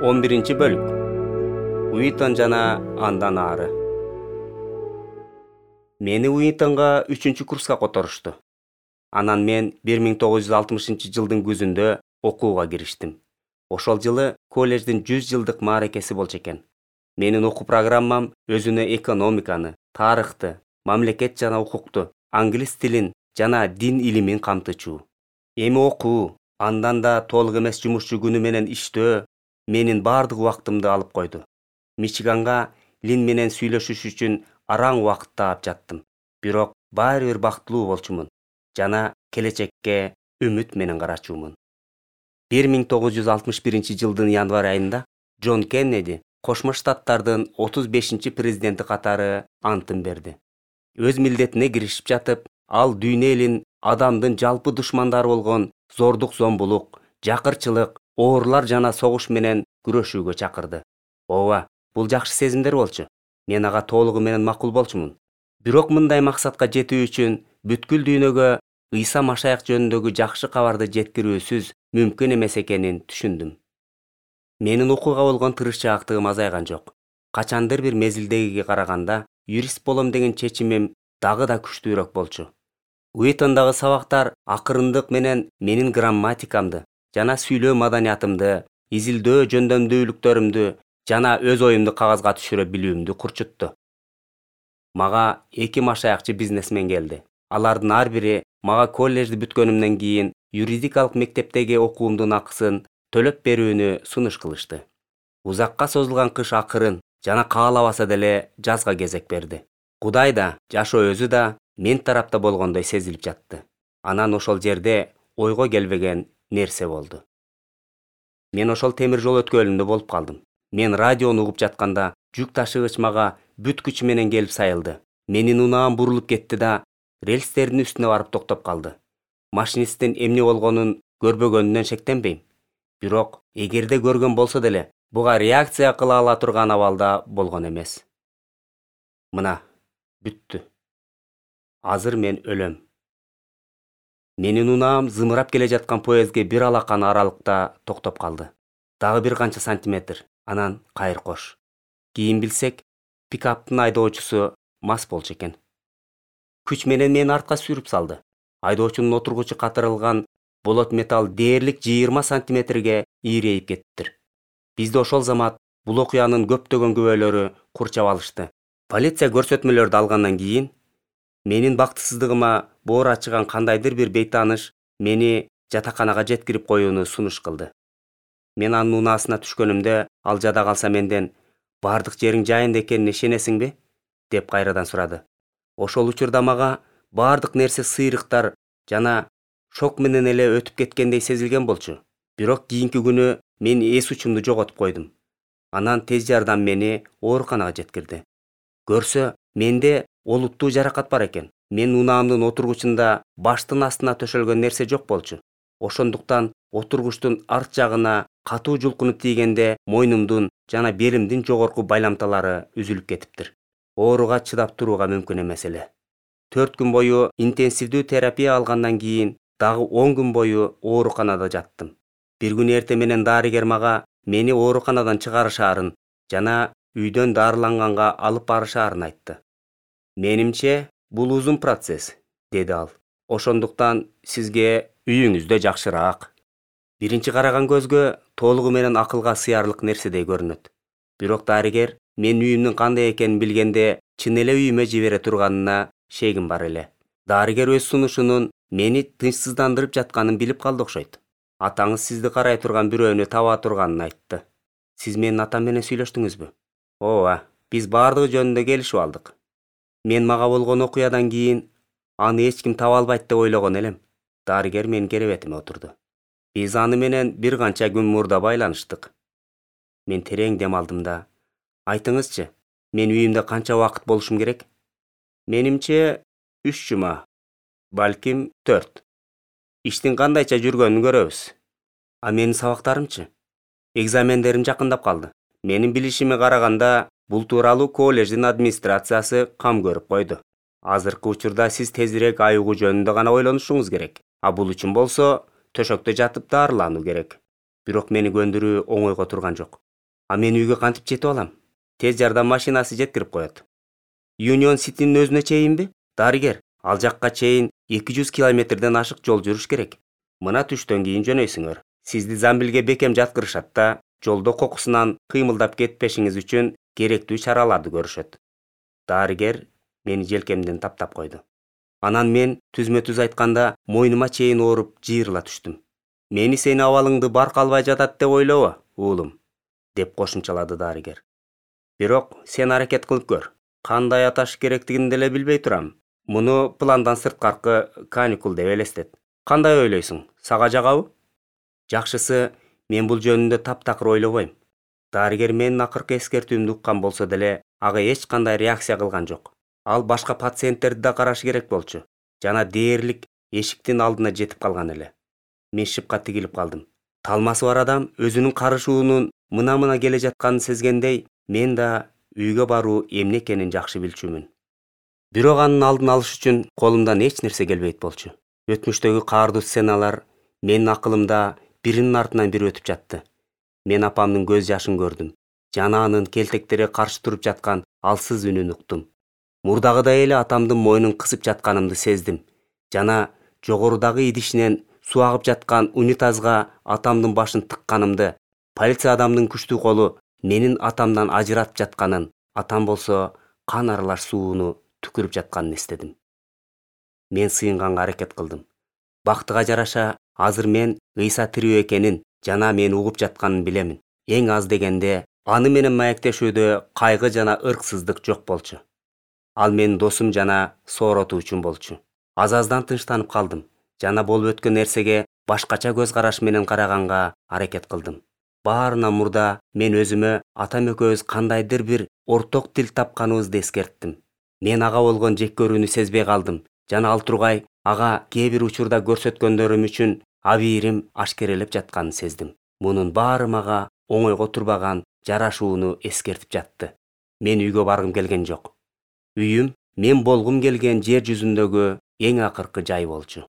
11-бөлүк. Уитон жана андан ары. Мени Уитонго 3-курска которушту. Анан мен 1960-жылдын күзүндө окууга кириштим. Ошол жылы колледждин 100 жылдык мааракеси болчу экен. Менин окуу программам өзүнө экономиканы, тарыхты, мамлекет жана укукту, англис тилин жана дин илимин камтычу. Эми окуу, андан да толук эмес жумушчу күнү менен иштөө менин бардык убактымды алып койду. Мичиганга Лин менен сүйлөшүш үчүн араң убакыт таап жаттым. Бирок баары бир бактылуу болчумун жана келечекке үмүт менен карачумун. 1961-жылдын январь айында Джон Кеннеди Кошмо Штаттардын 35-президенти катары антын берди. Өз милдетине киришип жатып, ал дүйнө элин адамдын жалпы душмандары болгон зордук-зомбулук, жакырчылык, оорулар жана согуш менен күрөшүүгө чакырды. Ооба, бул жакшы сезимдер болчу. Мен ага толугу менен макул болчумун. Бирок мындай максатка жетүү үчүн бүткүл дүйнөгө Ыйса Машаяк жөнүндөгү жакшы кабарды жеткирүүсүз мүмкүн эмес экенин түшүндүм. Менин окууга болгон тырышчаактыгым азайган жок. Качандыр бир мезилдегиге караганда юрист болом деген чечимим дагы да күчтүүрөөк болчу. Уитондагы сабактар акырындык менен менин грамматикамды жана сүйлөө маданиятымды, изилдөө жөндөмдүүлүктөрүмдү жана өз оюмду кагазга түшүрө билүүмдү курчутту. Мага 2 машаякчы бизнесмен келди. Алардын ар бири мага колледжди бүткөнүмдөн кийин юридикалык мектептеги окуумдун акысын төлөп берүүнү сунуш кылышты. Узакка созулган кыш акырын жана каалабаса деле жазга кезек берди. Кудай да, жашоо өзү да мен тарапта болгондой сезилип жатты. Анан ошол жерде ойго келбеген нерсе болду. Мен ошол темир жол өткөлүндө болуп калдым. Мен радиону угуп жатканда жүк ташыгыч мага бүт күчү менен келип сайылды. Менин унаам бурулуп кетти да рельстердин үстүнө барып токтоп калды. Машинисттин эмне болгонун көрбөгөнүнөн шектенбейм. Бирок эгерде көргөн болсо деле, буга реакция кыла ала турган абалда болгон эмес. Мына, бүттү. Азыр мен өлөм. Менин унаам зымырап келе жаткан поездге бир алакан аралыкта токтоп калды. Дагы бир канча сантиметр, анан кайыр кош. Кийин билсек, пикаптын айдоочусу мас болчу экен. Күч менен мени артка сүрүп салды. Айдоочунун отургучу катырылган болот металл дээрлик 20 сантиметрге ийрейип кеттир. Бизди ошол замат бул окуянын көптөгөн күбөлөрү курчап алышты. Полиция көрсөтмөлөрдү алгандан кийин менин бактысыздыгыма боор ачыган кандайдыр бир бейтааныш мени жатаканага жеткирип коюуну сунуш кылды. Мен анын унаасына түшкөнүмдө ал жада калса менден бардык жериң жайында экенине ишенесиңби? Деп кайрадан сурады. Ошол учурда мага бардык нерсе сыйрыктар жана шок менен эле өтүп кеткендей сезилген болчу. Бирок кийинки күнү мен эс учумду жоготуп койдум. Анан тез жардам мени ооруканага жеткирди. Көрсө, менде олуттуу жаракат бар экен. Мен унаамдын отургучунда баштын астына төшөлгөн нерсе жок болчу. Ошондуктан отургучтун арт жагына катуу жулкунуп тийгенде мойнумдун жана белимдин жогорку байламталары үзүлүп кетиптир. Ооруга чыдап турууга мүмкүн эмес эле. 4 күн бою интенсивдүү терапия алгандан кийин дагы 10 күн бою ооруканада жаттым. Бир күн эртең менен дарыгер мага мени ооруканадан чыгарышаарын жана үйдөн дарыланганга алып барышаарын айтты. Менимче, бул узун процесс, деди ал. Ошондуктан сизге үйүңүздө жакшыраак. Биринчи караган көзгө толугу менен акылга сыярлык нерседей көрүнөт. Бирок дарыгер мен үйүмдүн кандай экенин билгенде чын эле үйүмө жибере турганына шегим бар эле. Дарыгер өз сунушунун мени тынчсыздандырып жатканын билип калды окшойт. Атаңыз сизди карай турган бирөөнү таба турганын айтты. Сиз менин атам менен сүйлөштүңүзбү? Ооба, биз бардыгы жөнүндө келишип алдык. Мен мага болгон окуядан кийин аны эч ким таба албайт деп ойлогон элем. Дарыгер менин керебетиме отурду. Биз аны менен бир канча күн мурда байланыштык. Мен терең дем алдым да, айтыңызчы, мен үйүмдө канча убакыт болушум керек? Менимче 3 жума, балким 4. Иштин кандайча жүргөнүн көрөбүз. А менин сабактарымчы? Экзамендерим жакындап калды. Менин билишиме караганда, бул тууралуу колледждин администрациясы кам көрүп койду. Азыркы учурда сиз тезирээк айыгуу жөнүндө гана ойлонушуңуз керек. А бул үчүн болсо, төшөктө жатып дарылануу керек. Бирок мени көндүрүү оңойго турган жок. А мен үйгө кантип жетип алам? Тез жардам машинасы жеткирип коет. Union City'нин өзүнө чейинби? Дарыгер, ал жакка чейин 200 километрден ашык жол жүрүш керек. Мына түштөн кийин жөнөйсүңөр. Сизди замбилге бекем жаткырышат да, жолдо кокусунан кыймылдап кетпешиңиз үчүн керектүү чараларды көрүшөт. Дарыгер мени желкемден таптап койду. Анан мен түзмө-түз айтканда мойнума чейин ооруп жыйырыла түштүм. Мени сени абалыңды баркалбай жатат деп ойлобо, уулум, деп кошумчалады дарыгер. Бирок сен аракет кылып көр. Кандай аташ керектигин деле билбей турам. Муну пландан сырткаркы каникул деп элестет. Кандай ойлойсуң? Сага жагабы? Жакшысы, мен бул жөнүндө таптакыр ойлобойм. Дарыгер менин акыркы эскертүүмдү уккан болсо деле, ага эч кандай реакция кылган жок. Ал башка пациенттерди да карашы керек болчу. Жана дээрлик эшиктин алдына жетип калган эле. Мен шыпка тигилип калдым. Талмасы бар адам өзүнүн карышуунун мына келе жатканын сезгендей, мен да үйгө баруу эмне экенин жакшы билчүмүн. Бирок анын алдын алыш үчүн колумдан эч нерсе келбейт болчу. Өтмүштөгү каардуу сценалар менин акылымда биринин артынан бири өтүп жатты. Мен апамдын көз жашын көрдүм. Жана анын келтектери каршы туруп жаткан алсыз үнүн уктум. Мурдагыдай эле атамдын мойнун кысып жатканымды сездим. Жана жогорудагы идишинен суу агып жаткан унитазга атамдын башын тыкканымды, полиция адамдын күчтүү колу менин атамдан ажыратып жатканын, атам болсо кан аралаш сууну түкүрүп жатканын эстедим. Мен сыйынганга аракет кылдым. Бактыга жараша, азыр мен ыйса тирүү экенин жана мени угуп жатканын билемин. Эң аз дегенде аны менен маектешүүдө кайгы жана ырксыздык жок болчу. Ал менин досум жана сооротуучум болчу. Аз-аздан тынчтанып калдым жана болуп өткөн нерсеге башкача көз караш менен караганга аракет кылдым. Баарынан мурда мен өзүмө атам экөөбүз кандайдыр бир орток тил тапканыбызды эскерттим. Мен ага болгон жек көрүүнү сезбей калдым жана ал тургай ага кээ бир учурда көрсөткөндөрүм үчүн абийирим ашкерелеп жатканын сездим. Мунун баары мага оңойго турбаган жарашууну эскертип жатты. Мен үйгө баргым келген жок. Үйүм мен болгум келген жер жүзүндөгү эң акыркы жай болчу.